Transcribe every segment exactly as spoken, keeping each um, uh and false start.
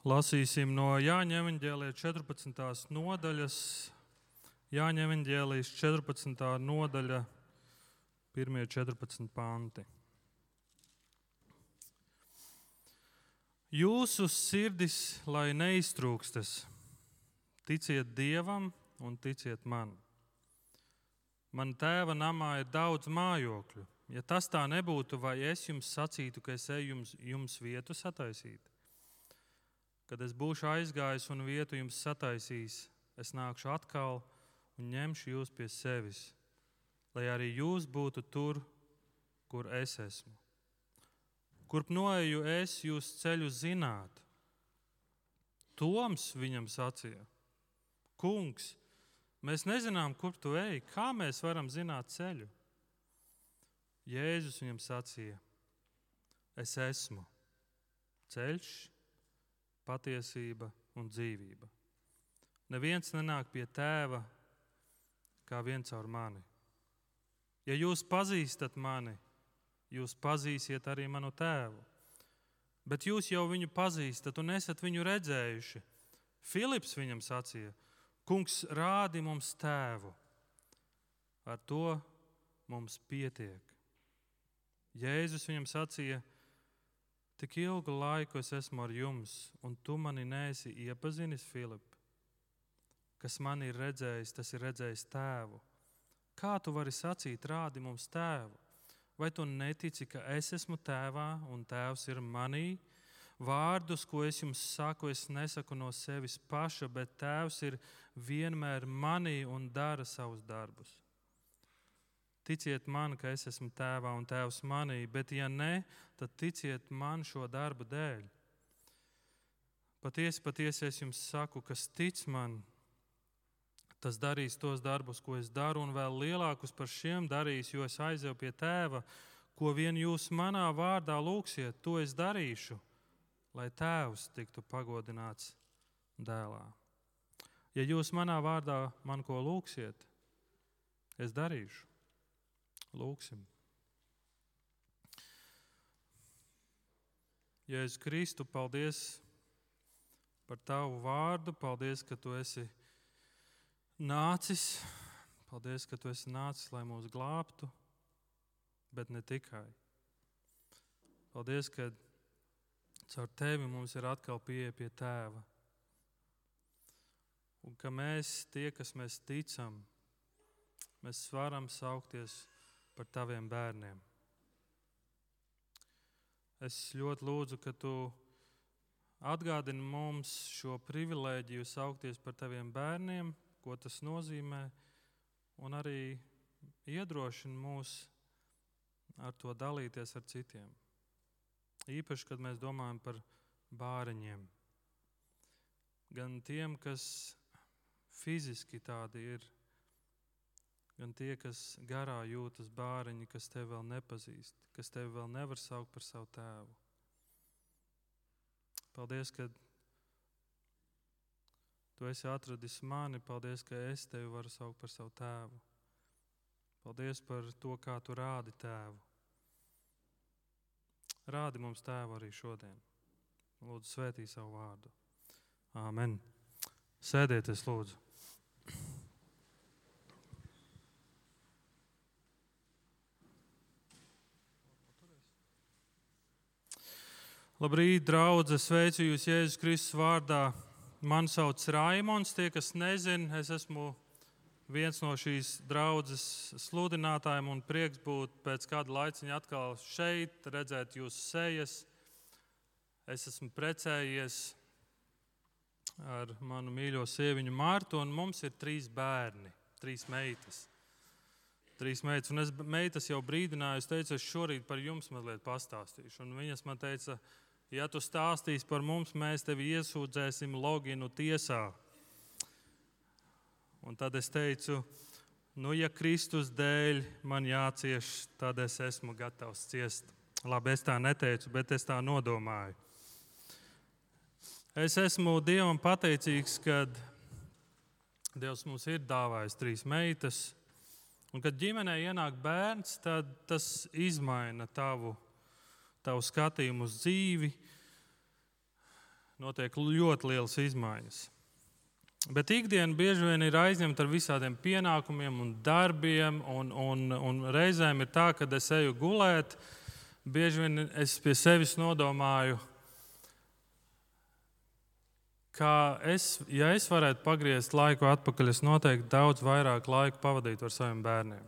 Lasīsim no Jāņa evaņģēlija četrpadsmitās nodaļas. Jāņa evaņģēlijas četrpadsmitā nodaļa, pirmie četrpadsmit panti. Jūsu sirdis, lai neiztrūkstas, ticiet Dievam un ticiet man. Man tēva namā ir daudz mājokļu. Ja tas tā nebūtu, vai es jums sacītu, ka es eju jums, jums vietu sataisīt? Kad es būšu aizgājis un vietu jums sataisījis, es nākšu atkal un ņemšu jūs pie sevis, lai arī jūs būtu tur, kur es esmu. Kurp noeju es, jūs ceļu zināt. Toms viņam sacīja: Kungs, mēs nezinām, kur tu ej, kā mēs varam zināt ceļu? Jēzus viņam sacīja: Es esmu ceļš, patiesība un dzīvība. Neviens nenāk pie tēva kā viens caur mani. Ja jūs pazīstat mani, jūs pazīsiet arī manu tēvu. Bet jūs jau viņu pazīstat un esat viņu redzējuši. Filips viņam sacīja: Kungs, rādi mums tēvu. Ar to mums pietiek. Jēzus viņam sacīja: Tik ilgu laiku es esmu ar jums, un tu mani neesi iepazinis, Filip. Kas mani ir redzējis, tas ir redzējis tēvu. Kā tu vari sacīt, rādi mums tēvu? Vai tu netici, ka es esmu tēvā un tēvs ir manī? Vārdus, ko es jums saku, es nesaku no sevis paša, bet tēvs ir vienmēr manī un dara savus darbus. Ticiet man, ka es esmu tēvā un tēvs manī, bet ja ne, tad ticiet man šo darbu dēļ. Patiesi, patiesi es jums saku, kas tic man, tas darīs tos darbus, ko es daru, un vēl lielākus par šiem darīs, jo es aizeju pie tēva, ko vien jūs manā vārdā lūgsiet, to es darīšu, lai tēvs tiktu pagodināts dēlā. Ja jūs manā vārdā man ko lūgsiet, es darīšu. Lūksim. Jēzus Kristu, paldies par tavu vārdu, paldies, ka tu esi nācis, paldies, ka tu esi nācis, lai mūs glābtu, bet ne tikai. Paldies, ka caur tevi mums ir atkal pieeja pie tēva. Un ka mēs, tie, kas mēs ticam, mēs varam saukties par taviem bērniem. Es ļoti lūdzu, ka tu atgādini mums šo privilēģiju saukties par taviem bērniem, ko tas nozīmē, un arī iedrošini mūs ar to dalīties ar citiem. Īpaši, kad mēs domājam par bāriņiem. Gan tiem, kas fiziski tādi ir, gan tie, kas garā jūtas bāriņi, kas tevi vēl nepazīst, kas tevi vēl nevar saukt par savu tēvu. Paldies, ka tu esi atradis mani, paldies, ka es tevi varu saukt par savu tēvu. Paldies par to, kā tu rādi tēvu. Rādi mums tēvu arī šodien. Lūdzu, svētī savu vārdu. Āmen. Sēdieties, lūdzu. Labrīt, draudze, sveicu jūs Jēzus Kristus vārdā. Mani sauc Raimons, tie, kas nezin, es esmu viens no šīs draudzes sludinātājiem un prieks būt pēc kāda laiciņa atkal šeit, redzēt jūsu sejas. Es esmu precējies ar manu mīļo sieviņu Martu, un mums ir trīs bērni, trīs meitas. Trīs meitas, un es meitas jau brīdināju, es teicu, es šorīt par jums mazliet pastāstīšu, un viņas man teica, ja tu stāstīsi par mums, mēs tevi iesūdzēsim loginu tiesā. Un tad es teicu, nu, ja Kristus dēļ man jācieš, tad es esmu gatavs ciest. Labi, es tā neteicu, bet es tā nodomāju. Es esmu Dievam pateicīgs, kad Dievs mums ir dāvājis trīs meitas, un kad ģimenē ienāk bērns, tad tas izmaina tavu tavu skatījumu uz dzīvi. notiek ļoti lielas izmaiņas. Bet ikdiena bieži vien ir aizņemta ar visādiem pienākumiem un darbiem, un, un, un reizēm ir tā, kad es eju gulēt, bieži vien es pie sevis nodomāju, ka es, ja es varētu pagriezt laiku atpakaļ, es noteikti daudz vairāk laiku pavadītu ar saviem bērniem.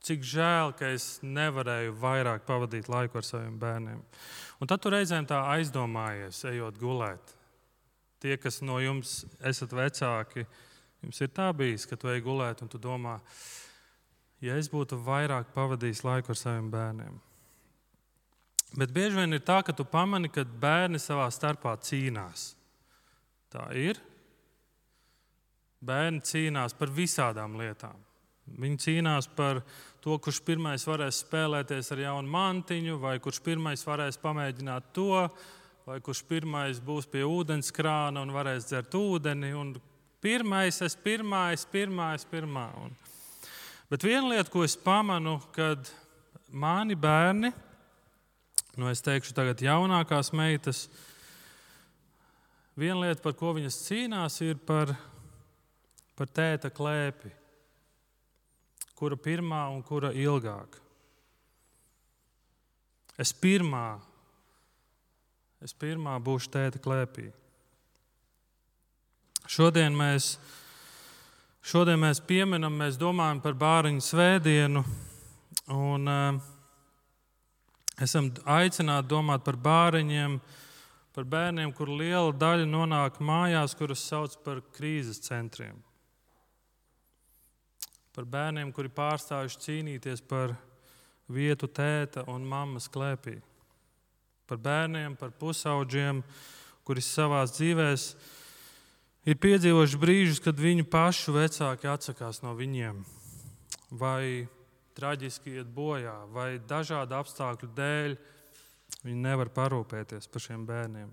Cik žēl, ka es nevarēju vairāk pavadīt laiku ar saviem bērniem. Un tad tu reizēm tā aizdomājies, ejot gulēt. Tie, kas no jums esat vecāki, jums ir tā bijis, ka tu ej gulēt un tu domā, ja es būtu vairāk pavadījis laiku ar saviem bērniem. Bet bieži vien ir tā, ka tu pamani, ka bērni savā starpā cīnās. Tā ir. Bērni cīnās par visādām lietām. Viņi cīnās par to, kurš pirmais varēs spēlēties ar jaunu mantiņu, vai kurš pirmais varēs pamēģināt to, vai kurš pirmais būs pie ūdenskrāna un varēs dzert ūdeni. Un pirmais, es pirmais, pirmais, pirmā. Un... Bet viena lieta, ko es pamanu, kad mani bērni, nu es teikšu tagad jaunākās meitas, viena lieta, par ko viņas cīnās, ir par, par tēta klēpi. Kura pirmā un kura ilgāk. Es pirmā, es pirmā būšu tēta klēpī. Šodien mēs, šodien mēs pieminam, mēs domājam par bāriņu svētdienu un uh, esam aicināti domāt par bāriņiem, par bērniem, kur liela daļa nonāk mājās, kuras sauc par krīzes centriem. Par bērniem, kuri pārstājuši cīnīties par vietu tēta un mammas klēpī. Par bērniem, par pusaudžiem, kuri savās dzīvēs ir piedzīvojuši brīžus, kad viņu pašu vecāki atsakās no viņiem. Vai traģiski iet bojā, vai dažādu apstākļu dēļ viņi nevar parūpēties par šiem bērniem.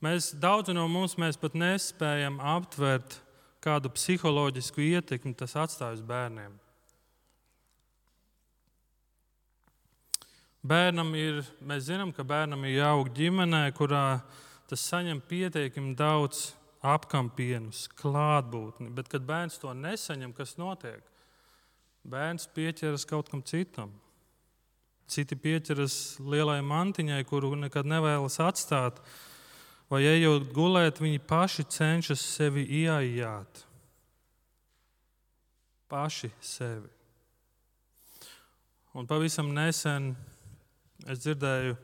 Mēs, daudzi no mums, mēs pat nespējam aptvert, kādu psiholoģisku ietekmi tas atstāj uz bērniem. Bērnam ir, mēs zinām, ka bērnam ir jāaug ģimenē, kurā tas saņem pietiekami daudz apkampienus, klātbūtni, bet kad bērns to nesaņem, kas notiek? Bērns pieķeras kaut kam citam. Citi pieķeras lielai mantiņai, kuru nekad nevēlas atstāt. Vai ejot gulēt, viņi paši cenšas sevi ieaijāt. Paši sevi. Un pavisam nesen es dzirdēju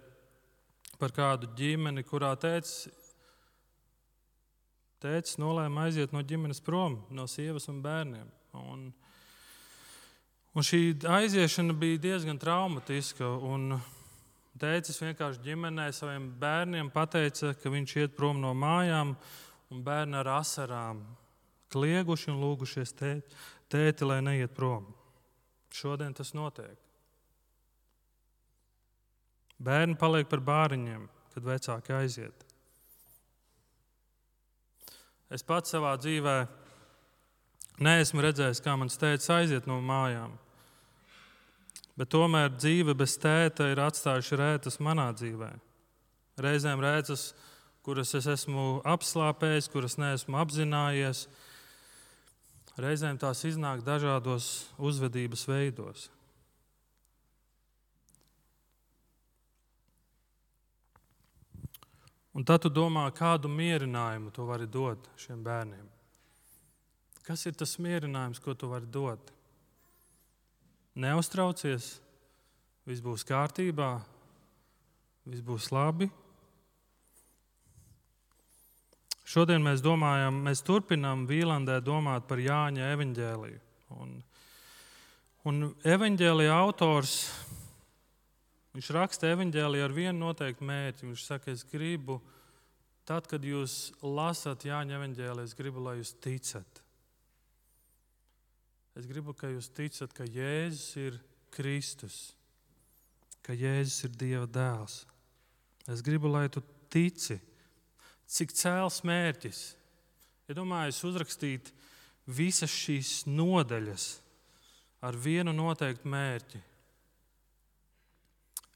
par kādu ģimeni, kurā tētis, tētis nolēma aiziet no ģimenes prom, no sievas un bērniem. Un, un šī aiziešana bija diezgan traumatiska. Un tētis vienkārši ģimenē saviem bērniem pateica, ka viņš iet prom no mājām, un bērni ar asarām klieguši un lūgušies tēti, tēti, lai neiet prom. Šodien tas notiek. Bērni paliek par bāriņiem, kad vecāki aiziet. Es pats savā dzīvē neesmu redzējis, kā mans tētis aiziet no mājām. Bet tomēr dzīve bez tēta ir atstājuši rētas manā dzīvē. Reizēm rētas, kuras es esmu apslāpējis, kuras neesmu apzinājies. Reizēm tās iznāk dažādos uzvedības veidos. Un tad tu domā, kādu mierinājumu tu vari dot šiem bērniem. Kas ir tas mierinājums, ko tu vari dot? Neuztraucies, viss būs kārtībā, viss būs labi. Šodien mēs domājam, mēs turpinām Vīlandē domāt par Jāņa evaņģēliju. Un, un evaņģēlija autors, viņš raksta evaņģēliju ar vienu noteiktu mērķi. Viņš saka, es gribu, tad, kad jūs lasat Jāņa evaņģēliju, es gribu, lai jūs ticat. Es gribu, ka jūs ticat, ka Jēzus ir Kristus, ka Jēzus ir Dieva dēls. Es gribu, lai tu tici, cik cēls mērķis. Ja domāju, uzrakstīt visas šīs nodaļas ar vienu noteiktu mērķi.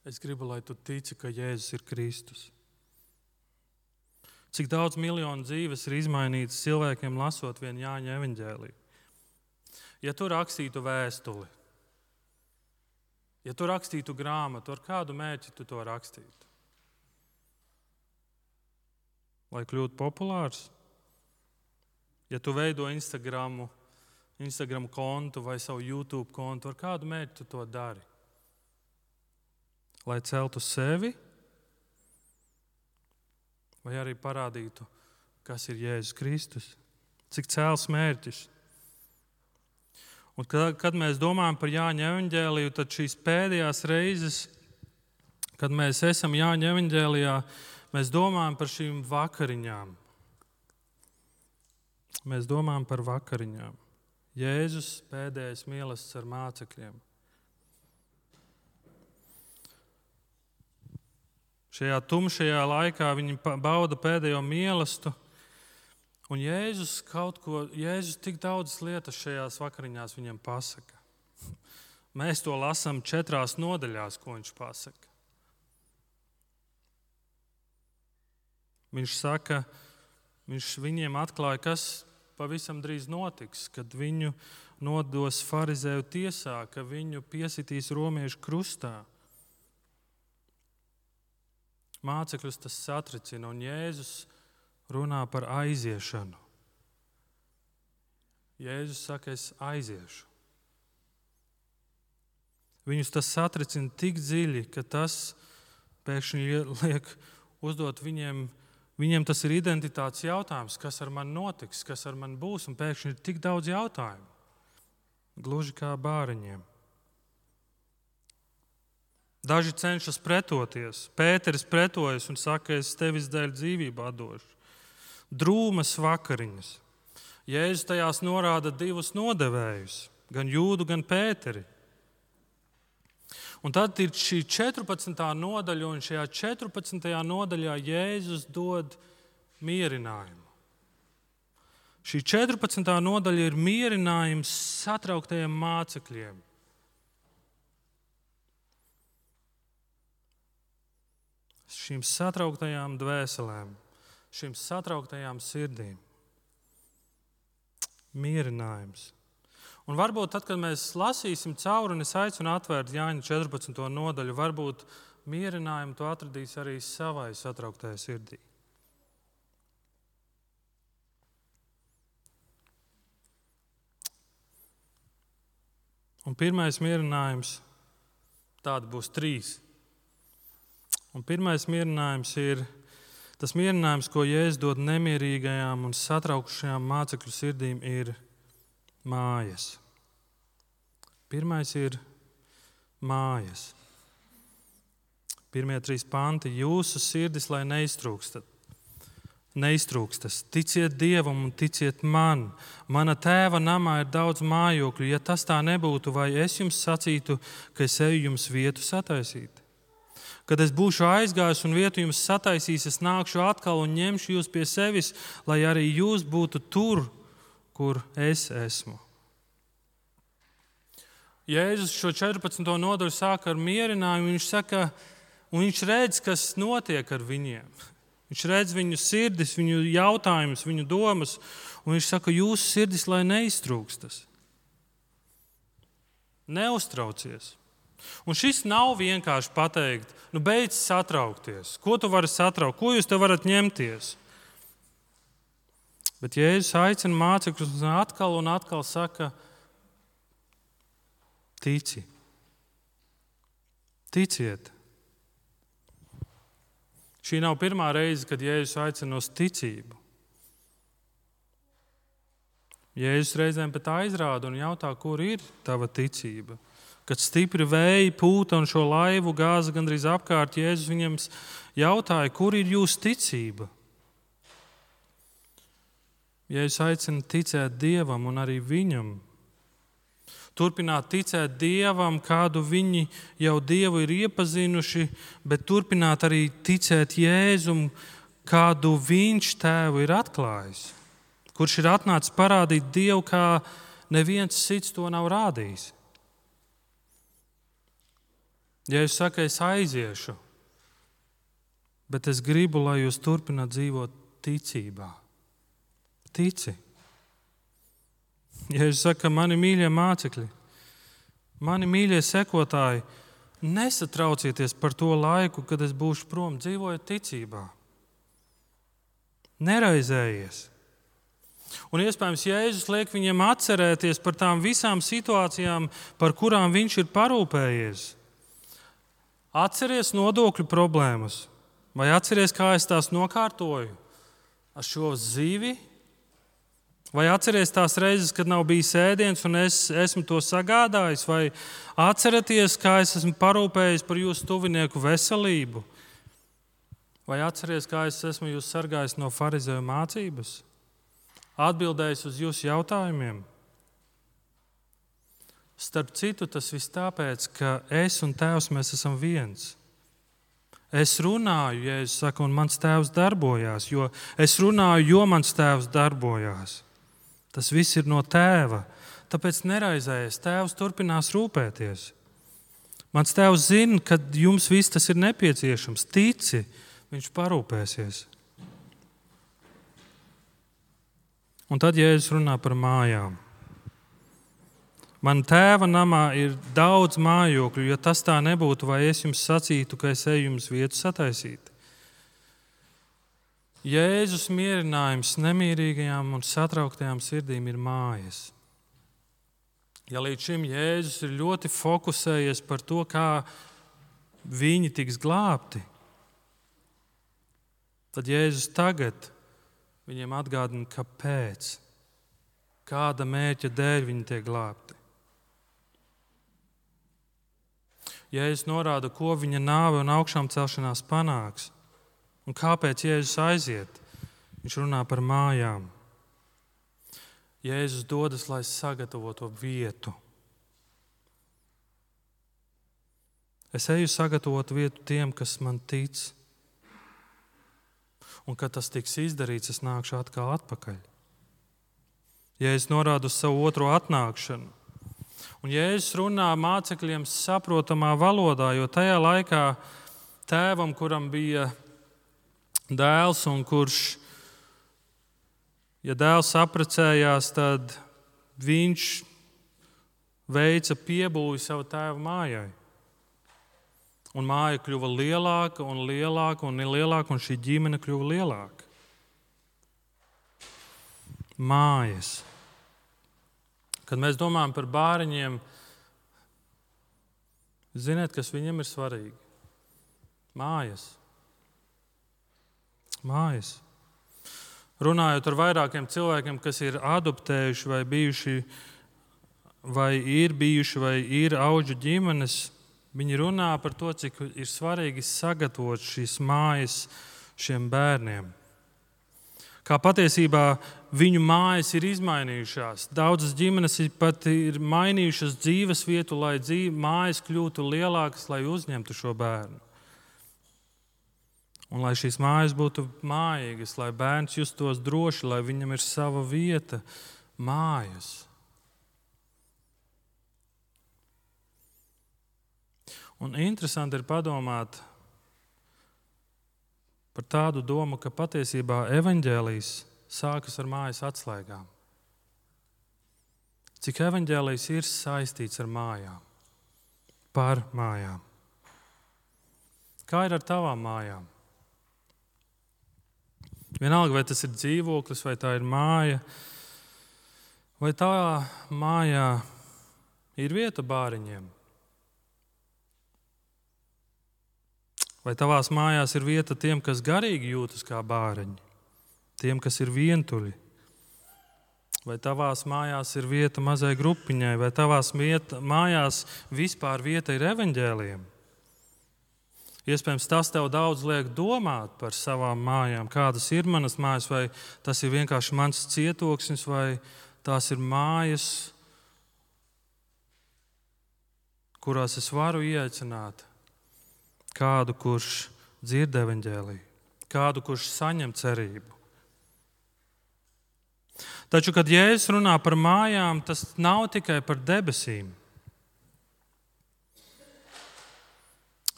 Es gribu, lai tu tici, ka Jēzus ir Kristus. Cik daudz miljonu dzīves ir izmainītas cilvēkiem lasot vien Jāņa evaņģēliju. Ja tu rakstītu vēstuli, ja tu rakstītu grāmatu, ar kādu mērķi tu to rakstītu? Lai kļūtu populārs? Ja tu veido Instagramu, Instagram kontu vai savu YouTube kontu, ar kādu mērķi tu to dari? Lai celtu sevi? Vai arī parādītu, kas ir Jēzus Kristus? Cik cēls mērķis? Un kad, kad mēs domājam par Jāņa evaņģēliju, tad šīs pēdējās reizes, kad mēs esam Jāņa evaņģēlijā, mēs domājam par šīm vakariņām. Mēs domājam par vakariņām. Jēzus pēdējais mīlestības ar mācekļiem. Šajā tumšajā laikā viņi bauda pēdējo mīlestību, un Jēzus kaut ko, Jēzus tik daudz lietas šajās vakariņās viņam pasaka. Mēs to lasām četrās nodaļās, ko viņš pasaka. Viņš saka, viņš viņiem atklāja, kas pavisam drīz notiks, kad viņu nodos farizēju tiesā, ka viņu piesitīs romiešu krustā. Mācekļus tas satricina, un Jēzus runā par aiziešanu. Jēzus saka, es aiziešu. Viņus tas satricina tik dziļi, ka tas pēkšņi liek uzdot viņiem, viņiem tas ir identitātes jautājums, kas ar mani notiks, kas ar mani būs, un pēkšņi ir tik daudz jautājumu. Gluži kā bāriņiem. Daži cenšas pretoties. Pēteris pretojas un saka, es tevis dēļ dzīvību atdošu. Drūmas vakariņas. Jēzus tajās norāda divus nodevējus, gan Jūdu, gan Pēteri. Un tad ir šī četrpadsmitā nodaļa, un šajā četrpadsmitajā nodaļā Jēzus dod mierinājumu. Šī četrpadsmitā nodaļa ir mierinājums satrauktajiem mācekļiem. Šīm satrauktajām dvēselēm, šīm satrauktajām sirdīm. Mierinājums. Un varbūt tad, kad mēs lasīsim cauri, un es aicinu atvērt Jāņa četrpadsmito nodaļu, varbūt mierinājumu tu atradīsi arī savai satrauktajai sirdī. Un pirmais mierinājums, tādi būs trīs. Un pirmais mierinājums ir tas mierinājums, ko Jēzus dod nemierīgajām un satraukušajām mācekļu sirdīm, ir mājas. Pirmais ir mājas. Pirmie trīs panti. Jūsu sirdis, lai neiztrūkstat. Neiztrūkstas. Ticiet Dievam un ticiet man. Mana tēva namā ir daudz mājokļu. Ja tas tā nebūtu, vai es jums sacītu, ka es eju jums vietu sataisīt? Kad es būšu aizgājis un vietu jums sataisīs, es nākšu atkal un ņemšu jūs pie sevis, lai arī jūs būtu tur, kur es esmu. Jēzus šo četrpadsmito nodaļu sāk ar mierinājumu. Viņš saka, un viņš redz, kas notiek ar viņiem. Viņš redz viņu sirdis, viņu jautājumus, viņu domas, un viņš saka, jūsu sirdis, lai neiztrūkstas. Neuztraucies. Un šis nav vienkārši pateikt, nu beidz satraukties. Ko tu vari satraukt? Ko jūs te varat ņemties? Bet Jēzus aicina mācekļus un atkal un atkal saka, tici. Ticiet. Šī nav pirmā reize, kad Jēzus aicina uz ticību. Jēzus reizēm pat aizrāda un jautā, kur ir tava ticība. Kad stipri vēji pūta un šo laivu gāza gandrīz apkārt, Jēzus viņiem jautāja, kur ir jūsu ticība? Jēzus aicina ticēt Dievam un arī viņam. Turpināt ticēt Dievam, kādu viņi jau Dievu ir iepazinuši, bet turpināt arī ticēt Jēzum, kādu viņš tēvu ir atklājis, kurš ir atnācis parādīt Dievu, kā neviens cits to nav rādījis. Ja es saku, es aiziešu, bet es gribu, lai jūs turpināt dzīvot ticībā. Tici. Ja es saku, mani mīļie mācekļi, mani mīļie sekotāji, nesatraucieties par to laiku, kad es būšu prom, dzīvojiet ticībā. Neraizējies. Un iespējams, Jēzus liek viņiem atcerēties par tām visām situācijām, par kurām viņš ir parūpējies. Atceries nodokļu problēmas, vai atceries, kā es tās nokārtoju ar šo zīvi, vai atceries tās reizes, kad nav bijis ēdiens un es esmu to sagādājis, vai atcerieties, kā es esmu parūpējis par jūsu tuvinieku veselību, vai atceries, kā es esmu jūs sargājis no farizeju mācības, atbildējis uz jūsu jautājumiem. Starp citu, tas viss tāpēc, ka es un Tēvs mēs esam viens. Es runāju, ja es saku, un mans Tēvs darbojās, jo es runāju, jo mans Tēvs darbojās. Tas viss ir no Tēva, tāpēc neraizējies, Tēvs turpinās rūpēties. Mans Tēvs zina, ka jums viss tas ir nepieciešams. Tici, viņš parūpēsies. Un tad Jēzus runā par mājām. Man Tēva namā ir daudz mājokļu, ja tas tā nebūtu, vai es jums sacītu, ka es eju jums vietu sataisīt. Jēzus mierinājums nemierīgajām un satrauktajām sirdīm ir mājas. Ja līdz šim Jēzus ir ļoti fokusējies par to, kā viņi tiks glābti, tad Jēzus tagad viņiem atgādina, kāpēc, kāda mērķa dēļ viņi tiek glābti. Jēzus norāda, ko viņa nāve un augšām celšanās panāks. Un kāpēc Jēzus aiziet? Viņš runā par mājām. Jēzus dodas, lai sagatavotu vietu. Es eju sagatavot vietu tiem, kas man tic. Un, kad tas tiks izdarīts, es nākšu atkal atpakaļ. Jēzus norāda uz savu otro atnākšanu. Un Jēzus runā mācekļiem saprotamā valodā, jo tajā laikā tēvam, kuram bija dēls un kurš, ja dēls apprecējās, tad viņš veica piebūvi savu tēva mājai. Un māja kļuva lielāka un lielāka un lielāka, un šī ģimene kļuva lielāka. Mājas. Kad mēs domājam par bāriņiem, ziniet, kas viņiem ir svarīgi? Mājas. Mājas. Runājot ar vairākiem cilvēkiem, kas ir adoptējuši vai bijuši, vai ir bijuši, vai ir auģu ģimenes, viņi runā par to, cik ir svarīgi sagatavot šīs mājas šiem bērniem. Kā patiesībā viņu mājas ir izmainījušās. Daudzas ģimenes pat ir mainījušas dzīves vietu, lai dzīve, mājas kļūtu lielākas, lai uzņemtu šo bērnu. Un lai šīs mājas būtu mājīgas, lai bērns justos droši, lai viņam ir sava vieta, mājas. Un interesanti ir padomāt par tādu domu, ka patiesībā evaņģēlijs sākas ar mājas atslēgām. Cik evaņģēlijs ir saistīts ar mājām, par mājām. Kā ir ar tavām mājām? Vienalga, vai tas ir dzīvoklis, vai tā ir māja, vai tā mājā ir vieta bāriņiem. Vai tavās mājās ir vieta tiem, kas garīgi jūtas kā bāriņi, tiem, kas ir vientuļi? Vai tavās mājās ir vieta mazai grupiņai, vai tavās vieta, mājās vispār vieta ir evaņģēlijam? Iespējams, tas tev daudz liek domāt par savām mājām, kādas ir manas mājas, vai tas ir vienkārši mans cietoksnis, vai tās ir mājas, kurās es varu ieaicināt kādu, kurš dzird evaņģēliju, kādu, kurš saņem cerību. Taču, kad Jēzus runā par mājām, tas nav tikai par debesīm.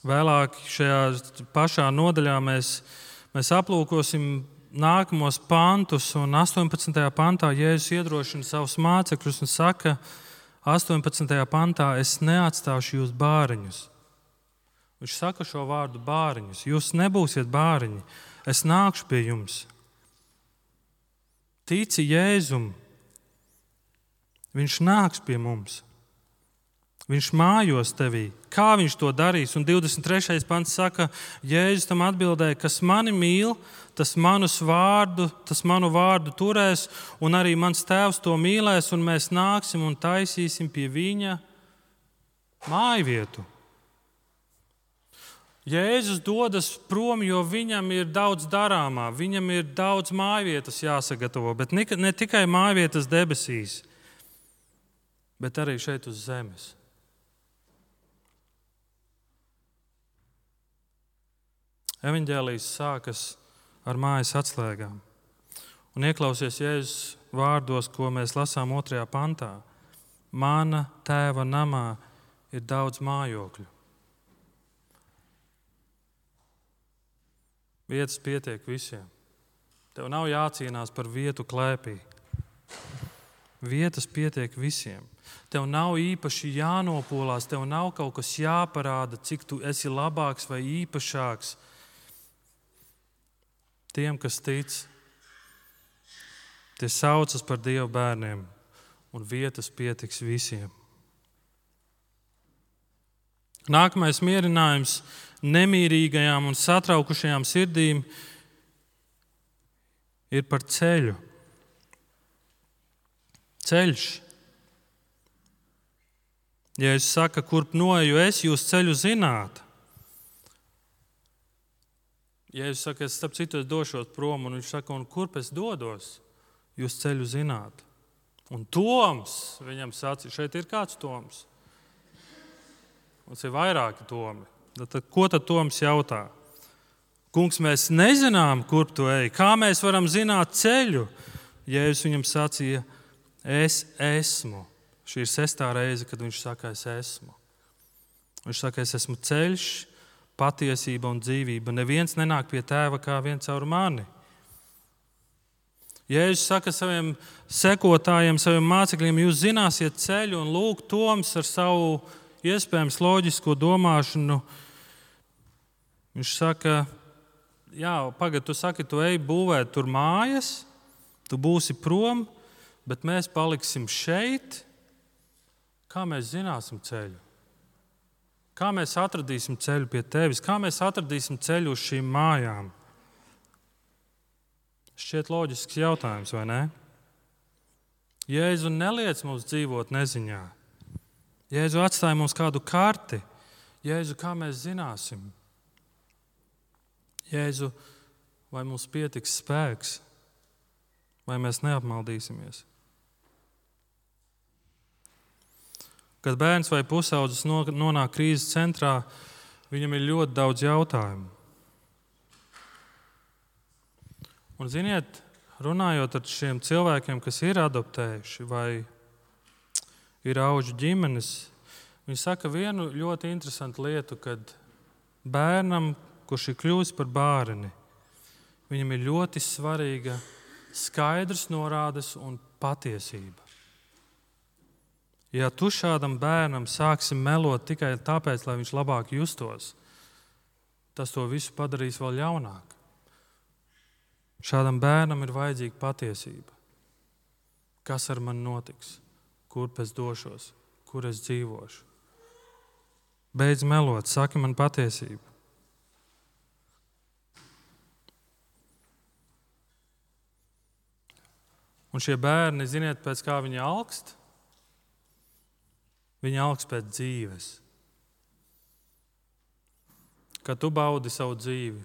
Vēlāk šajā pašā nodaļā mēs, mēs aplūkosim nākamos pantus, un astoņpadsmitajā pantā Jēzus iedrošina savus mācekļus un saka, astoņpadsmitajā pantā, es neatstāšu jūs bāriņus. Viņš saka šo vārdu bāriņus. Jūs nebūsiet bāriņi, es nākšu pie jums. Tici Jēzum, viņš nāks pie mums. Viņš mājos tevī. Kā viņš to darīs? Un divdesmit trešais pants saka, Jēzus tam atbildēja, kas mani mīl, tas, manus vārdu, tas manu vārdu turēs, un arī mans tēvs to mīlēs, un mēs nāksim un taisīsim pie viņa mājvietu. Jēzus dodas prom, jo viņam ir daudz darāmā, viņam ir daudz mājvietas jāsagatavo, bet ne tikai mājvietas debesīs, bet arī šeit uz zemes. Evaņģēlijs sākas ar mājas atslēgām. Un ieklausies Jēzus vārdos, ko mēs lasām otrajā pantā. Mana tēva namā ir daudz mājokļu. Vietas pietiek visiem. Tev nav jācīnās par vietu klēpī. Vietas pietiek visiem. Tev nav īpaši jānopolās, tev nav kaut kas jāparāda, cik tu esi labāks vai īpašāks. Tiem, kas tic, tie saucas par Dieva bērniem, un vietas pietiks visiem. Nākamais mierinājums nemierīgajām un satraukušajām sirdīm ir par ceļu. Ceļš. Ja es saku, kurp noeju es, jūs ceļu zināt. Ja es saku, es starp citu es došos prom, un viņš saka, un kurp es dodos, jūs ceļu zināt. Un Toms, viņam sacīja, šeit ir kāds Toms. Mums ir vairāki Tomi. Tad, ko tad Toms jautā? Kungs, mēs nezinām, kurp tu ej. Kā mēs varam zināt ceļu? Jēzus viņam sacīja, es esmu. Šī ir sestā reize, kad viņš saka, es esmu. Viņš saka, es esmu ceļš, patiesība un dzīvība. Neviens nenāk pie tēva kā viens caur mani. Jēzus saka saviem sekotājiem, saviem mācekļiem, jūs zināsiet ceļu, un lūk, Toms ar savu iespējams loģisko domāšanu. Viņš saka, jā, pagad, tu saki, tu ej būvēt tur mājas, tu būsi prom, bet mēs paliksim šeit. Kā mēs zināsim ceļu? Kā mēs atradīsim ceļu pie tevis? Kā mēs atradīsim ceļu uz šīm mājām? Šķiet loģisks jautājums, vai ne? Jēzu neliec mums dzīvot neziņā. Jēzu atstāja mums kādu karti. Jēzu, kā mēs zināsim? Jēzu, vai mums pietiks spēks? Vai mēs neapmaldīsimies? Kad bērns vai pusaudzis nonāk krīzes centrā, viņam ir ļoti daudz jautājumu. Un, ziniet, runājot ar šiem cilvēkiem, kas ir adoptējuši vai ir auģu ģimenes, viņi saka vienu ļoti interesantu lietu, kad bērnam, kurš ir kļuvis par bērni, viņam ir ļoti svarīga skaidrs norādes un patiesība. Ja tu šādam bērnam sāksi melot tikai tāpēc, lai viņš labāk justos, tas to visu padarīs vēl ļaunāk. Šādam bērnam ir vajadzīga patiesība. Kas ar mani notiks? Kurp es došos? Kur es dzīvošu? Beidz melot, saki man patiesību. Un šie bērni, ziniet, pēc kā viņi alkst? Viņi augst pēc dzīves. Kad tu baudi savu dzīvi,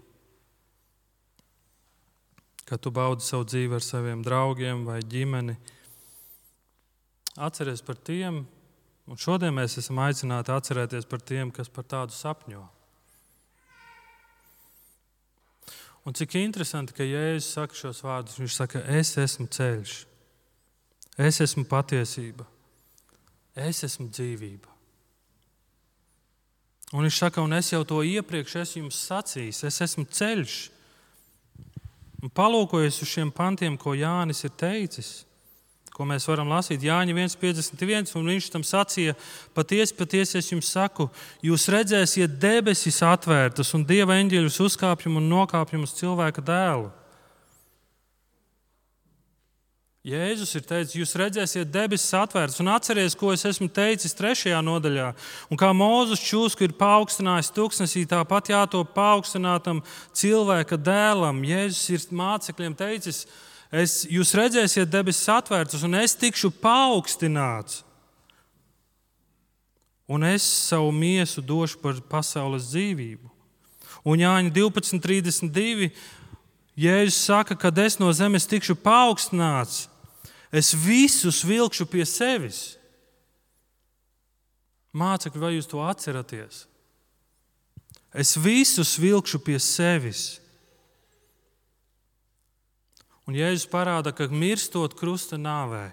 kad tu baudi savu dzīvi ar saviem draugiem vai ģimeni, atceries par tiem, un šodien mēs esam aicināti atcerēties par tiem, kas par tādu sapņo. Un cik interesanti, ka Jēzus saka šos vārdus, viņš saka, es esmu ceļš, es esmu patiesība. Es esmu dzīvība. Un viņš saka, un es jau to iepriekš esmu jums sacījis, es esmu ceļš. Un palūkojies uz šiem pantiem, ko Jānis ir teicis, ko mēs varam lasīt. Jāņa viens piecdesmit viens, un viņš tam sacīja, patiesi, patiesi es jums saku, jūs redzēsiet debesis atvērtas un Dieva eņģeļus uzkāpjam un nokāpjam uz cilvēka dēlu. Jēzus ir teicis, jūs redzēsiet debesis atvērtas, un atceries, ko es esmu teicis trešajā nodaļā. Un kā Mūzes čūsku ir paaugstinājis tuksnesī, tāpat jātop paaugstinātam cilvēka dēlam. Jēzus ir mācekļiem teicis, es, jūs redzēsiet debesis atvērtas, un es tikšu paaugstināts. Un es savu miesu došu par pasaules dzīvību. Un Jāņa divpadsmit trīsdesmit divi, Jēzus saka, kad es no zemes tikšu paaugstināts, es visus vilkšu pie sevis. Mācekļi, vai jūs to atceraties? Es visus vilkšu pie sevis. Un Jēzus parāda, ka mirstot krusta nāvē,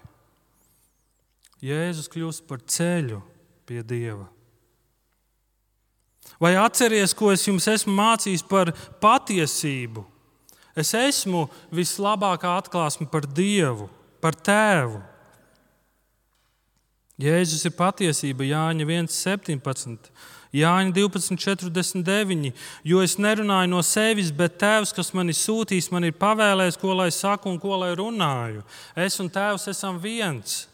Jēzus kļūst par ceļu pie Dieva. Vai atceries, ko es jums esmu mācījis par patiesību? Es esmu vislabākā atklāsme par Dievu, par Tēvu. Jēzus ir patiesība, Jāņa viens septiņpadsmit, Jāņa divpadsmit četrdesmit deviņi, jo es nerunāju no sevis, bet Tēvs, kas mani sūtīs, man ir pavēlējis, ko lai saku un ko lai runāju. Es un Tēvs esam viens.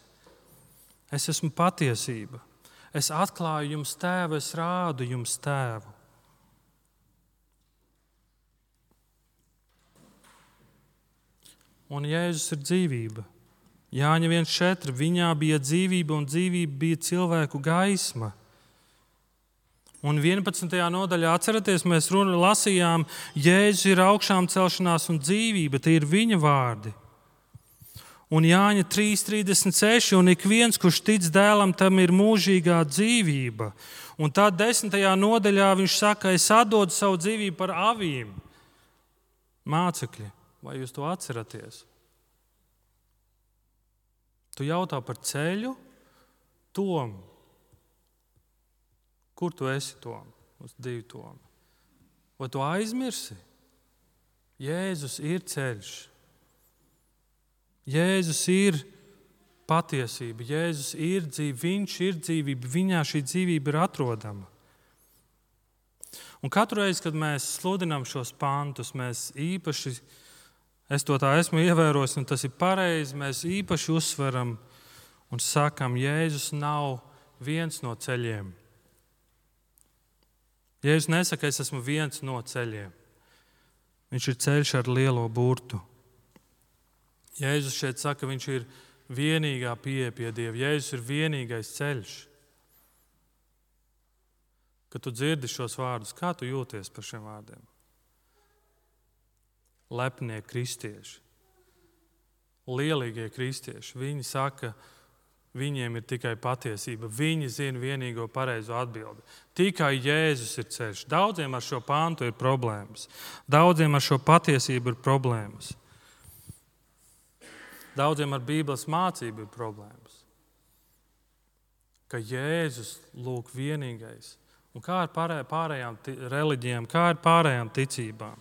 Es esmu patiesība. Es atklāju jums Tēvu, es rādu jums Tēvu. Un Jēzus ir dzīvība. Jāņa viens četri, viņā bija dzīvība un dzīvība bija cilvēku gaisma. Un vienpadsmitajā nodaļā, atceraties, mēs runa lasījām, Jēzus ir augšām celšanās un dzīvība, tie ir viņa vārdi. Un Jāņa trīs trīsdesmit seši, un ik viens, kurš tic dēlam, tam ir mūžīgā dzīvība. Un tad desmitajā nodaļā viņš saka, es atdodu savu dzīvību par avīm. Mācekļi, vai jūs to atceraties? Tu jautā par ceļu, Tom. Kur tu esi, Tom? Uz divi Tomi. Vai tu aizmirsi? Jēzus ir ceļš. Jēzus ir patiesība. Jēzus ir dzīvība. Viņš ir dzīvība. Viņā šī dzīvība ir atrodama. Un katru reizi, kad mēs sludinām šos pantus, mēs īpaši, es to tā esmu ievērojis, un tas ir pareizi, mēs īpaši uzsveram un sakam, Jēzus nav viens no ceļiem. Jēzus nesaka, es esmu viens no ceļiem. Viņš ir ceļš ar lielo burtu. Jēzus šeit saka, viņš ir vienīgā pieeja pie Dieva. Jēzus ir vienīgais ceļš. Kad tu dzirdi šos vārdus, kā tu jūties par šiem vārdiem? Lepnie kristieši, lielīgie kristieši, viņi saka, viņiem ir tikai patiesība. Viņi zina vienīgo pareizo atbildi. Tikai Jēzus ir ceļš. Daudziem ar šo pantu ir problēmas. Daudziem ar šo patiesību ir problēmas. Daudziem ar Bībeles mācību ir problēmas. Ka Jēzus lūk vienīgais. Un kā ar pārējām reliģijām, kā ar pārējām ticībām?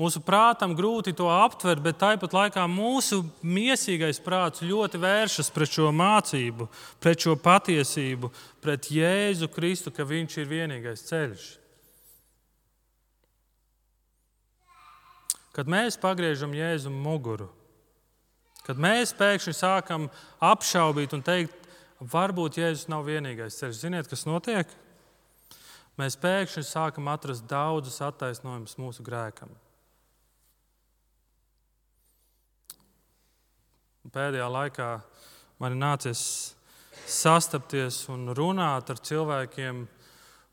Mūsu prātam grūti to aptvert, bet tāpat laikā mūsu miesīgais prāts ļoti vēršas pret šo mācību, pret šo patiesību, pret Jēzu Kristu, ka viņš ir vienīgais ceļš. Kad mēs pagriežam Jēzum muguru, kad mēs pēkšņi sākam apšaubīt un teikt, varbūt Jēzus nav vienīgais ceļš, ziniet, kas notiek? Mēs pēkšņi sākam atrast daudzus attaisnojumus mūsu grēkam. Pēdējā laikā man ir nācies sastapties un runāt ar cilvēkiem,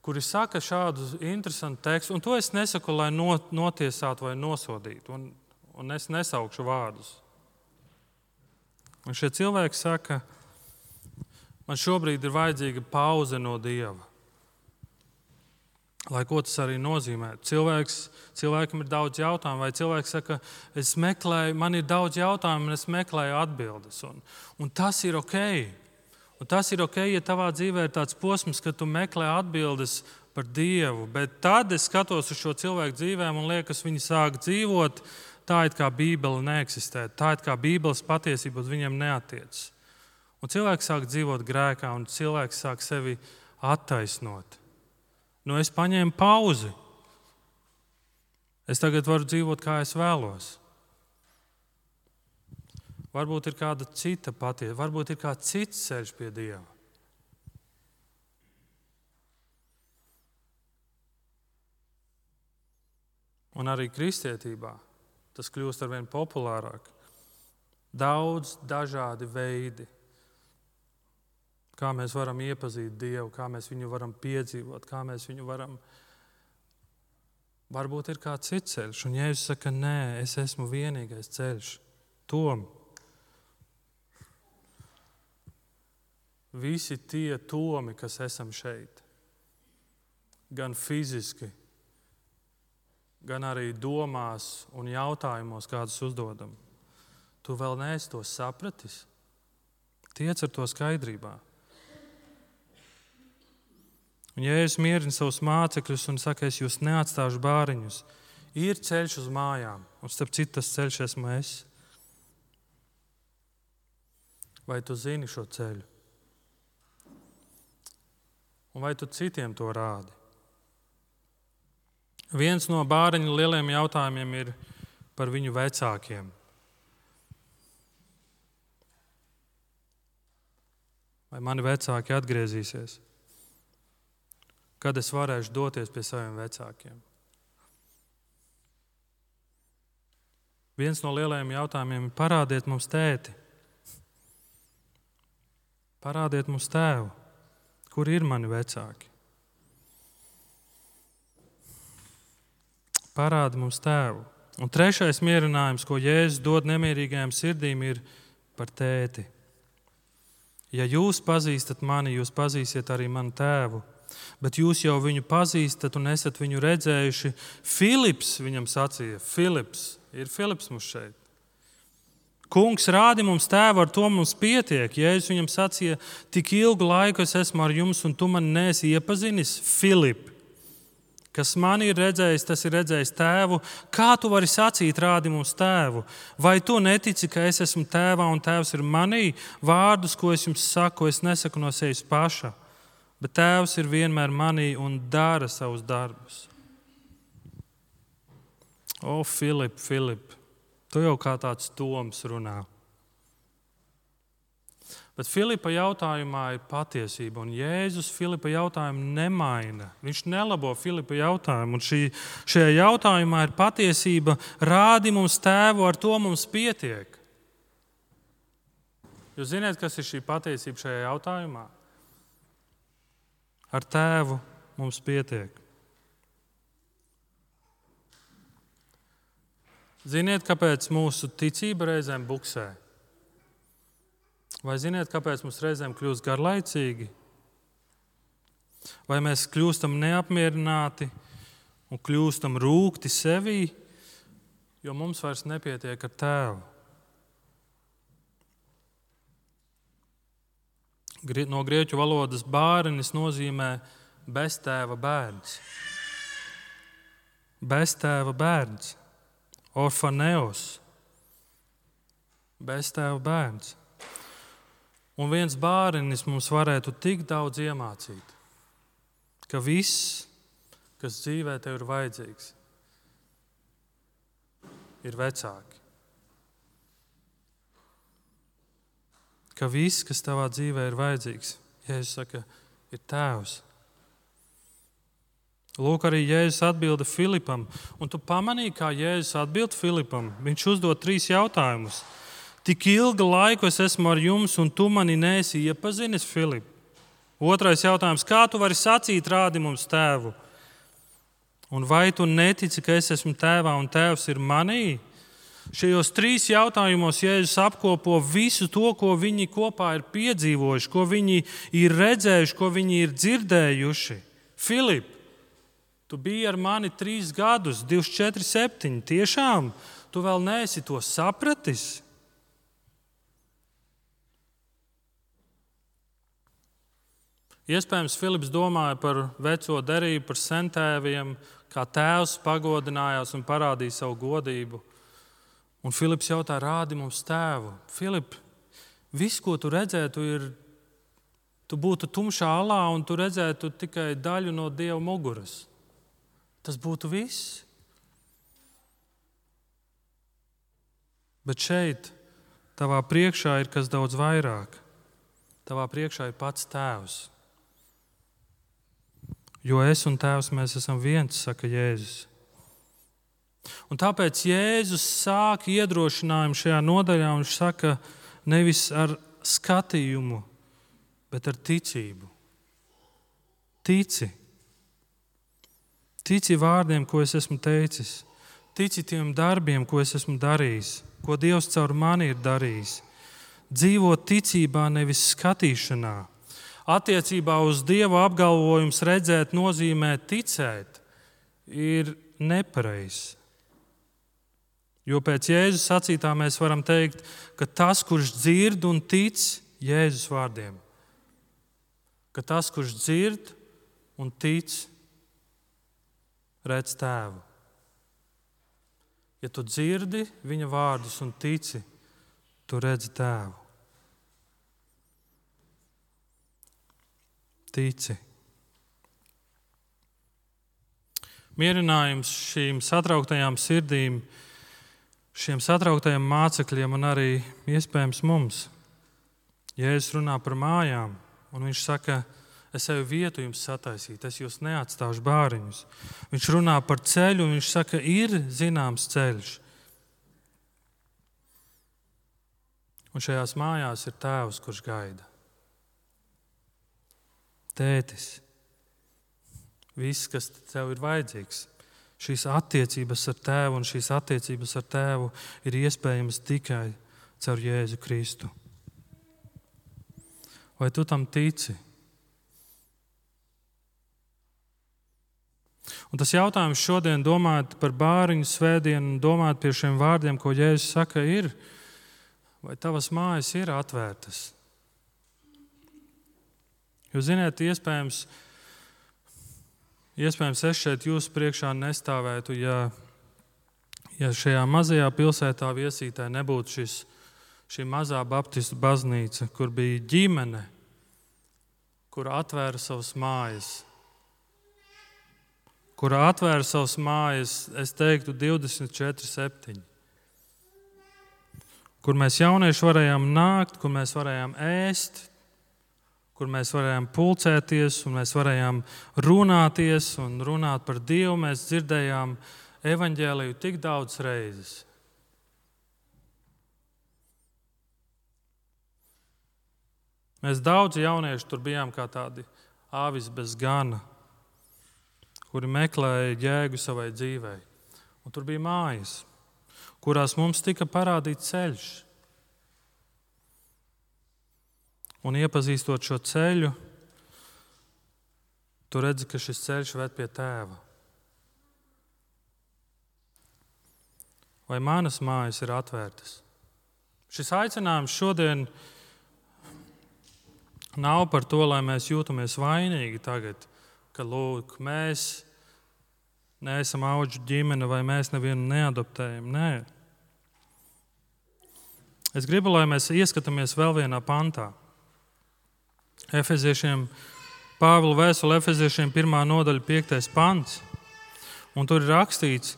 kuri saka šādu interesantu tekstu, un to es nesaku, lai notiesātu vai nosodītu, un, un es nesaukšu vārdus. Un šie cilvēki saka, man šobrīd ir vajadzīga pauze no Dieva. Lai ko tas arī nozīmē. Cilvēks, cilvēkam ir daudz jautājumu, vai cilvēks saka, es meklēju, man ir daudz jautājumu, un es meklēju atbildes. Un, un tas ir ok. Un tas ir ok, ja tavā dzīvē ir tāds posms, ka tu meklē atbildes par Dievu, bet tad es skatos uz šo cilvēku dzīvēm un liekas, viņi sāk dzīvot tā, it kā Bībele neeksistē, tā, it kā Bībeles patiesība uz viņiem neatiecas. Un cilvēks sāk dzīvot grēkā, un cilvēks sāk sevi attaisnot. Nu, es paņēmu pauzi. Es tagad varu dzīvot, kā es vēlos. Varbūt ir kāda cita patiesa, varbūt ir kāds cits ceļš pie Dieva. Un arī kristietībā tas kļūst arvien populārāk. Daudz dažādi veidi, kā mēs varam iepazīt Dievu, kā mēs viņu varam piedzīvot, kā mēs viņu varam. Varbūt ir kāds cits ceļš, un Jēzus saka, nē, es esmu vienīgais ceļš. Tom. Visi tie tomi, kas esam šeit, gan fiziski, gan arī domās un jautājumos, kādus uzdodam, tu vēl neesi to sapratis. Tiec ar to skaidrībā. Un Jēzus mierina savus mācekļus un saka, es jūs neatstāšu bāriņus. Ir ceļš uz mājām, un starp citu tas ceļš esmu es. Vai tu zini šo ceļu? Un vai tu citiem to rādi? Viens no bāriņa lieliem jautājumiem ir par viņu vecākiem. Vai mani vecāki atgriezīsies? Kad es varēšu doties pie saviem vecākiem? Viens no lielajiem jautājumiem ir parādiet mums tēti. Parādiet mums tēvu. Kur ir mani vecāki? Parādi mums tēvu. Un trešais mierinājums, ko Jēzus dod nemierīgajām sirdīm, ir par tēti. Ja jūs pazīstat mani, jūs pazīsiet arī manu tēvu. Bet jūs jau viņu pazīstat un esat viņu redzējuši. Filips viņam sacīja. Filips. Ir Filips mums šeit. Kungs, rādi mums tēvu, ar to mums pietiek. Jēzus viņam sacīja, tik ilgu laiku es esmu ar jums, un tu mani neesi iepazinis, Filip. Kas mani ir redzējis, tas ir redzējis tēvu. Kā tu vari sacīt, rādi mums tēvu? Vai tu netici, ka es esmu tēvā un tēvs ir manī? Vārdus, ko es jums saku, es nesaku no sevis paša. Bet tēvs ir vienmēr manī un dara savus darbus. O, Filip, Filip! Tu jau kā tāds toms runā. Bet Filipa jautājumā ir patiesība, un Jēzus Filipa jautājumu nemaina. Viņš nelabo Filipa jautājumu, un šī, šajā jautājumā ir patiesība. Rādi mums tēvu, ar to mums pietiek. Jūs zināt, kas ir šī patiesība šajā jautājumā? Ar tēvu mums pietiek. Ziniet, kāpēc mūsu ticība reizēm buksē? Vai ziniet, kāpēc mums reizēm kļūst garlaicīgi? Vai mēs kļūstam neapmierināti un kļūstam rūgti sevī, jo mums vairs nepietiek ar tēvu? No grieķu valodas bārenis nozīmē beztēva bērns. Beztēva bērns. Orfaneos, beztēva bērns. Un viens bārenis mums varētu tik daudz iemācīt, ka viss, kas dzīvē tev ir vajadzīgs, ir vecāki. Ka viss, kas tavā dzīvē ir vajadzīgs, Jēzus saka, ir tēvs. Lūk, arī Jēzus atbilda Filipam. Un tu pamanīji, kā Jēzus atbild Filipam. Viņš uzdod trīs jautājumus. Tik ilgu laiku es esmu ar jums, un tu mani neesi iepazinis, Filip. Otrais jautājums. Kā tu vari sacīt, rādi mums tēvu? Un vai tu netici, ka es esmu tēvā un tēvs ir manī? Šajos trīs jautājumos Jēzus apkopo visu to, ko viņi kopā ir piedzīvojuši, ko viņi ir redzējuši, ko viņi ir dzirdējuši. Filip, tu biji ar mani trīs gadus, divdesmit četri septiņi. Tiešām, tu vēl neesi to sapratis? Iespējams, Filips domāja par veco derību, par sentēviem, kā tēvs pagodinājās un parādīja savu godību. Un Filips jautā, rādi mums tēvu. Filip, viss, ko tu redzētu, ir, tu būtu tumšā alā un tu redzētu tikai daļu no Dieva muguras. Tas būtu viss. Bet šeit, tavā priekšā ir kas daudz vairāk. Tavā priekšā ir pats tēvs. Jo es un tēvs, mēs esam viens, saka Jēzus. Un tāpēc Jēzus sāk iedrošinājumu šajā nodaļā, un viņš saka nevis ar skatījumu, bet ar ticību. Tici. Tici vārdiem, ko es esmu teicis. Tici tiem darbiem, ko es esmu darījis, ko Dievs caur mani ir darījis. Dzīvo ticībā, nevis skatīšanā. Attiecībā uz Dieva apgalvojums redzēt nozīmē ticēt, ir nepareizs. Jo pēc Jēzus sacītā mēs varam teikt, ka tas, kurš dzird un tic Jēzus vārdiem, ka tas, kurš dzird un tic, redz tēvu. Ja tu dzirdi viņa vārdus un tici, tu redzi tēvu. Tici. Mierinājums šīm satrauktajām sirdīm, šiem satrauktajiem mācekļiem un arī iespējams mums. Jēzus runā par mājām, un viņš saka, es eju vietu jums sataisīt, es jūs neatstāšu bāriņus. Viņš runā par ceļu, un viņš saka, ir zināms ceļš. Un šajās mājās ir tēvs, kurš gaida. Tētis, viss, kas tev ir vajadzīgs, šīs attiecības ar tēvu un šīs attiecības ar tēvu ir iespējamas tikai caur Jēzu Kristu. Vai tu tam tici? Un tas jautājums šodien, domājot par bāriņu svētdienu un domājot pie šiem vārdiem, ko Jēzus saka, ir, vai tavas mājas ir atvērtas? Jo, ziniet, iespējams, iespējams, es šeit jūsu priekšā nestāvētu, ja, ja šajā mazajā pilsētā Viesītē nebūtu šis, šī mazā baptistu baznīca, kur bija ģimene, kur atvēra savas mājas. Kur atvēra savas mājas, es teiktu, divdesmit četri septiņi. Kur mēs jaunieši varējām nākt, kur mēs varējām ēst, kur mēs varējām pulcēties un mēs varējām runāties un runāt par Dievu. Mēs dzirdējām evaņģēliju tik daudz reizes. Mēs daudzi jaunieši tur bijām kā tādi āvis bez gana, kuri meklēja jēgu savai dzīvei. Un tur bija mājas, kurās mums tika parādīts ceļš. Un iepazīstot šo ceļu, tu redzi, ka šis ceļš ved pie tēva. Vai manas mājas ir atvērtas? Šis aicinājums šodien nav par to, lai mēs jūtamies vainīgi tagad, ka lūk, mēs neesam auģu ģimene vai mēs nevienu neadoptējam. Nē. Es gribu, lai mēs ieskatāmies vēl vienā pantā. Efeziešiem, Pāvila vēstule Efeziešiem pirmā nodaļa piektais pants. Un tur ir rakstīts,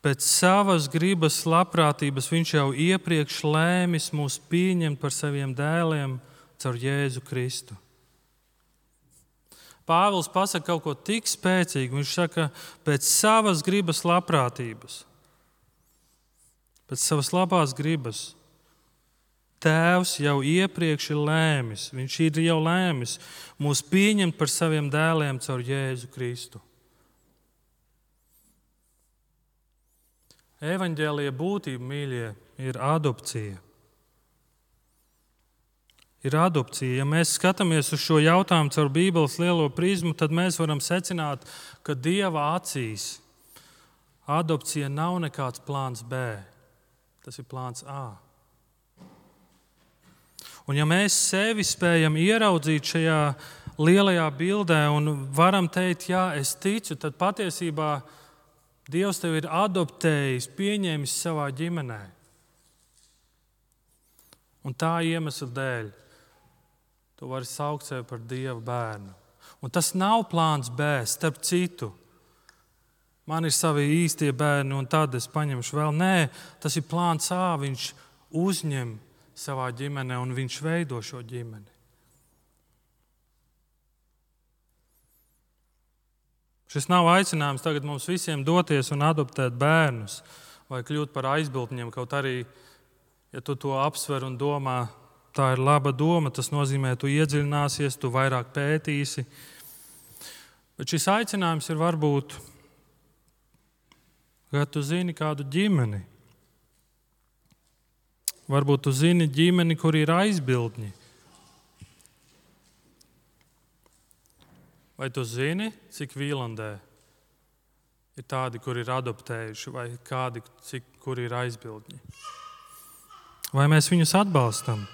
pēc savas gribas labprātības viņš jau iepriekš lēmis mūs pieņemt par saviem dēliem caur Jēzu Kristu. Pāvils pasaka kaut ko tik spēcīgu. Viņš saka, pēc savas gribas labprātības, pēc savas labās gribas. Tēvs jau iepriekš ir lēmis, viņš ir jau lēmis mūs pieņemt par saviem dēliem caur Jēzu Kristu. Evaņģēlija būtība, mīļie, ir adopcija. Ir adopcija. Ja mēs skatāmies uz šo jautājumu caur Bībeles lielo prizmu, tad mēs varam secināt, ka Dieva acīs adopcija nav nekāds plāns B. Tas ir plāns A. Un ja mēs sevi spējam ieraudzīt šajā lielajā bildē un varam teikt, jā, es ticu, tad patiesībā Dievs tevi ir adoptējis, pieņēmis savā ģimenē. Un tā iemesla dēļ tu vari saukt sevi par Dieva bērnu. Un tas nav plāns B, starp citu. Man ir savi īstie bērni, un tad es paņemšu vēl. Nē, tas ir plāns A, viņš uzņem savā ģimenē, un viņš veido šo ģimeni. Šis nav aicinājums tagad mums visiem doties un adoptēt bērnus vai kļūt par aizbildņiem, kaut arī, ja tu to apsver un domā, tā ir laba doma, tas nozīmē, tu iedziļināsies, tu vairāk pētīsi. Bet šis aicinājums ir varbūt, ka tu zini kādu ģimeni. Varbūt tu zini ģimeni, kur ir aizbildņi. Vai tu zini, cik Vīlandē ir tādi, kur ir adoptējuši, vai kādi, cik, kur ir aizbildņi? Vai mēs viņus atbalstam?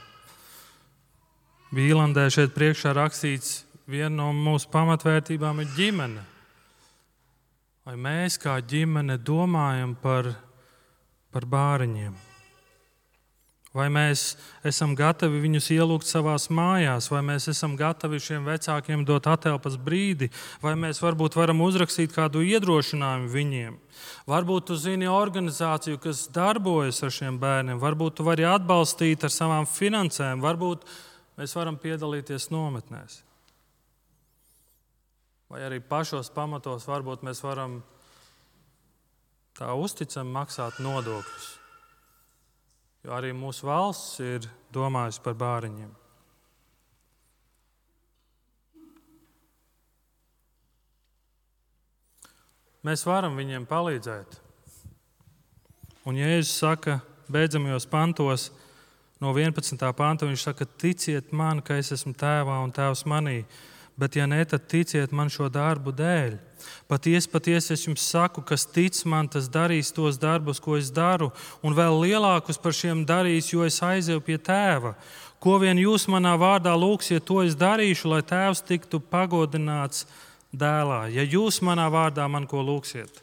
Vīlandē šeit priekšā rakstīts, viena no mūsu pamatvērtībām ir ģimene. Vai mēs kā ģimene domājam par, par bāriņiem? Vai mēs esam gatavi viņus ielūgt savās mājās, vai mēs esam gatavi šiem vecākiem dot atelpas brīdi, vai mēs varbūt varam uzrakstīt kādu iedrošinājumu viņiem. Varbūt tu zini organizāciju, kas darbojas ar šiem bērniem, varbūt tu vari atbalstīt ar savām finansēm, varbūt mēs varam piedalīties nometnēs. Vai arī pašos pamatos varbūt mēs varam tā uzticami maksāt nodokļus. Jo arī mūsu valsts ir domājusi par bāriņiem. Mēs varam viņiem palīdzēt. Un Jēzus saka, beidzamajos pantos, no vienpadsmitā panta, viņš saka, ticiet man, ka es esmu tēvā un tēvs manī, bet ja ne, tad ticiet man šo darbu dēļ. Patiesi, patiesi es jums saku, kas tic man, tas darīs tos darbus, ko es daru, un vēl lielākus par šiem darīs, jo es aizēju pie tēva. Ko vien jūs manā vārdā lūgsiet, to es darīšu, lai tēvs tiktu pagodināts dēlā. Ja jūs manā vārdā man ko lūgsiet,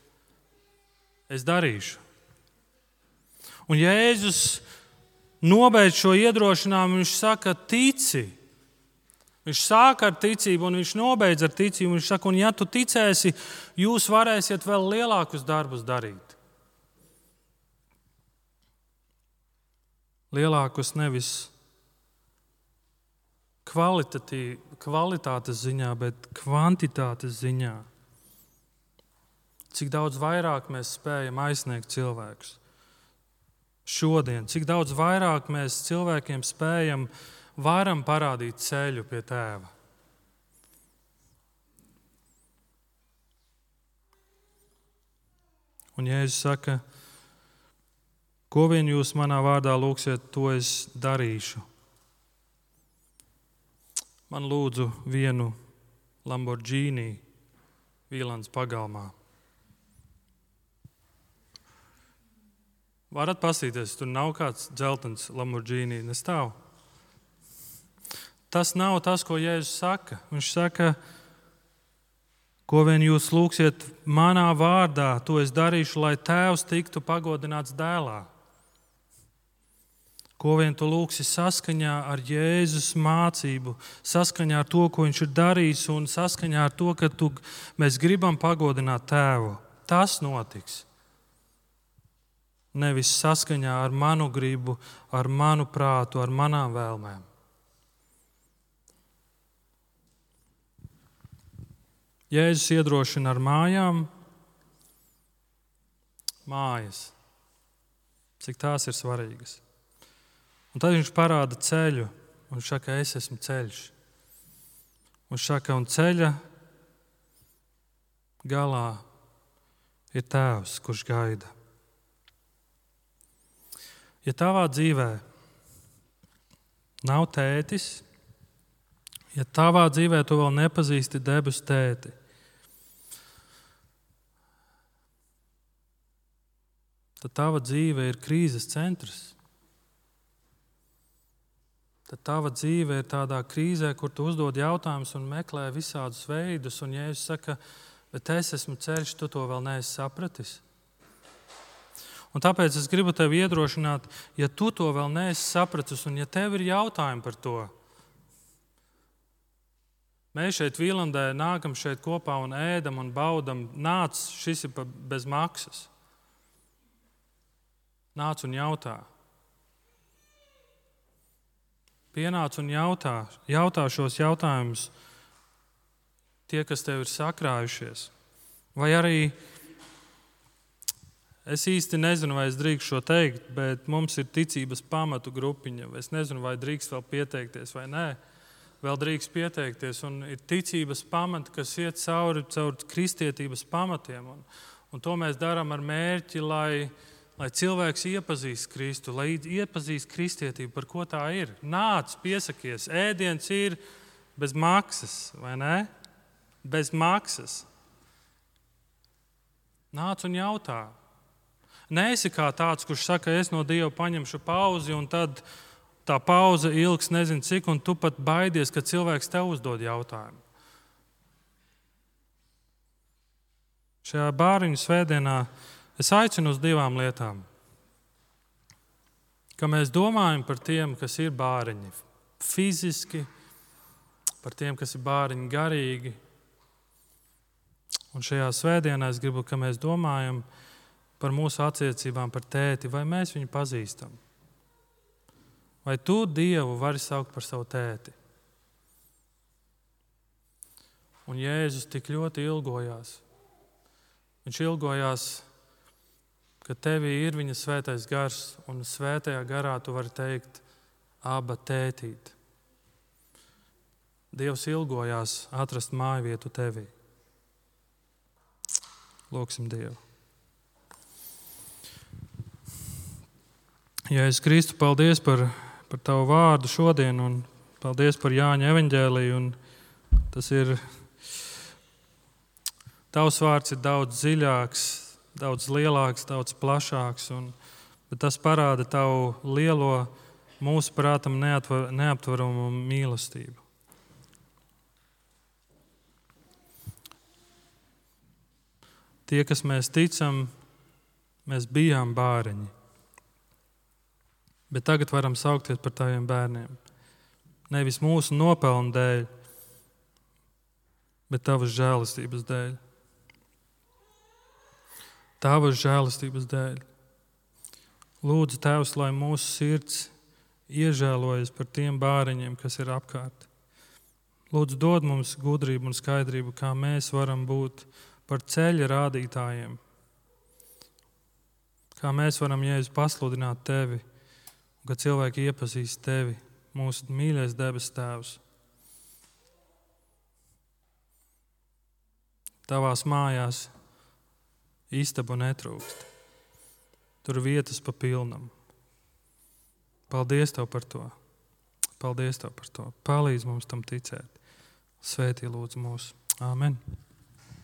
es darīšu. Un Jēzus nobeidz šo iedrošinājumu, viņš saka, tici. Viņš sāka ar ticību, un viņš nobeidz ar ticību. Viņš saka, un ja tu ticēsi, jūs varēsiet vēl lielākus darbus darīt. Lielākus nevis kvalitātes ziņā, bet kvantitātes ziņā. Cik daudz vairāk mēs spējam aizsniegt cilvēkus šodien, cik daudz vairāk mēs cilvēkiem spējam varam parādīt ceļu pie tēva. Un Jēzus saka, ko vien jūs manā vārdā lūgsiet, to es darīšu. Man lūdzu vienu Lamborghini Vīlandes pagalmā. Varat pasīties, tur nav kāds dzeltens Lamborghini, nestāv. Tas nav tas, ko Jēzus saka. Viņš saka, ko vien jūs lūgsiet manā vārdā, to es darīšu, lai tēvs tiktu pagodināts dēlā. Ko vien tu lūgsi saskaņā ar Jēzus mācību, saskaņā ar to, ko viņš ir darījis, un saskaņā ar to, ka tu, mēs gribam pagodināt tēvu. Tas notiks. Nevis saskaņā ar manu gribu, ar manu prātu, ar manām vēlmēm. Jēzus iedrošina ar mājām, mājas, cik tās ir svarīgas. Un tad viņš parāda ceļu, un viņš saka, es esmu ceļš. Un viņš saka, un ceļa galā ir tēvs, kurš gaida. Ja tavā dzīvē nav tētis, ja tavā dzīvē tu vēl nepazīsti debesu tēti, tad tava dzīve ir krīzes centrs. tad tava dzīve ir tādā krīzē, kur tu uzdod jautājumus un meklē visādus veidus. Un Jēzus saka, bet es esmu ceļš, tu to vēl neesi sapratis. Un tāpēc es gribu tevi iedrošināt, ja tu to vēl neesi sapratis un ja tev ir jautājumi par to, mēs šeit Vīlandē nākam šeit kopā un ēdam un baudam. Nāc, šis ir bez maksas. Nāc un jautā. Pienāc un jautā, jautā šos jautājumus tie, kas tev ir sakrājušies. Vai arī, es īsti nezinu, vai es drīkstu šo teikt, bet mums ir ticības pamatu grupiņa. Es nezinu, vai drīkst vēl pieteikties vai nē. Vēl drīkst pieteikties. Un ir ticības pamati, kas iet cauri, cauri kristietības pamatiem. Un, un to mēs darām ar mērķi, lai... Lai cilvēks iepazīst Kristu, lai iepazīst kristietību, par ko tā ir. Nāc, piesakies, ēdiens ir bez maksas, vai ne? Bez maksas. Nāc un jautā. Neesi kā tāds, kurš saka, es no Dieva paņemšu pauzi, un tad tā pauze ilgs nezinu cik, un tu pat baidies, ka cilvēks tev uzdod jautājumu. Šajā bāriņu svētdienā es aicinu uz divām lietām. Ka mēs domājam par tiem, kas ir bāriņi fiziski, par tiem, kas ir bāriņi garīgi. Un šajā svētdienā es gribu, ka mēs domājam par mūsu attiecībām par tēti, vai mēs viņu pazīstam. Vai tu Dievu vari saukt par savu tēti? Un Jēzus tik ļoti ilgojās. Viņš ilgojās, ka tevī ir viņa svētais gars, un svētajā garā tu vari teikt, Aba tētīt. Dievs ilgojās atrast māju vietu tevī. Lūksim Dievu. Jēzus Kristu, paldies par, par tavu vārdu šodien, un paldies par Jāņa evaņģēliju. Un tas ir, tavs vārds ir daudz dziļāks, daudz lielāks, daudz plašāks, un, bet tas parāda tavu lielo, mūsu prātam neatver, neaptveramu mīlestību. Tie, kas mēs ticam, mēs bijām bāriņi, bet tagad varam saukties par taviem bērniem. Nevis mūsu nopelnu dēļ, bet tavas žēlastības dēļ. Tavas žēlastības dēļ. Lūdzu, Tēvs, lai mūsu sirds iežēlojas par tiem bāriņiem, kas ir apkārt. Lūdzu, dod mums gudrību un skaidrību, kā mēs varam būt par ceļa rādītājiem. Kā mēs varam, Jēzus, pasludināt tevi, un ka cilvēki iepazīst tevi, mūsu mīļais debes Tēvs. Tavās mājās istabu netrūkst. Tur vietas pa pilnam. Paldies Tev par to. Paldies Tev par to. Palīdz mums tam ticēt. Svētī lūdzu mūs. Āmen.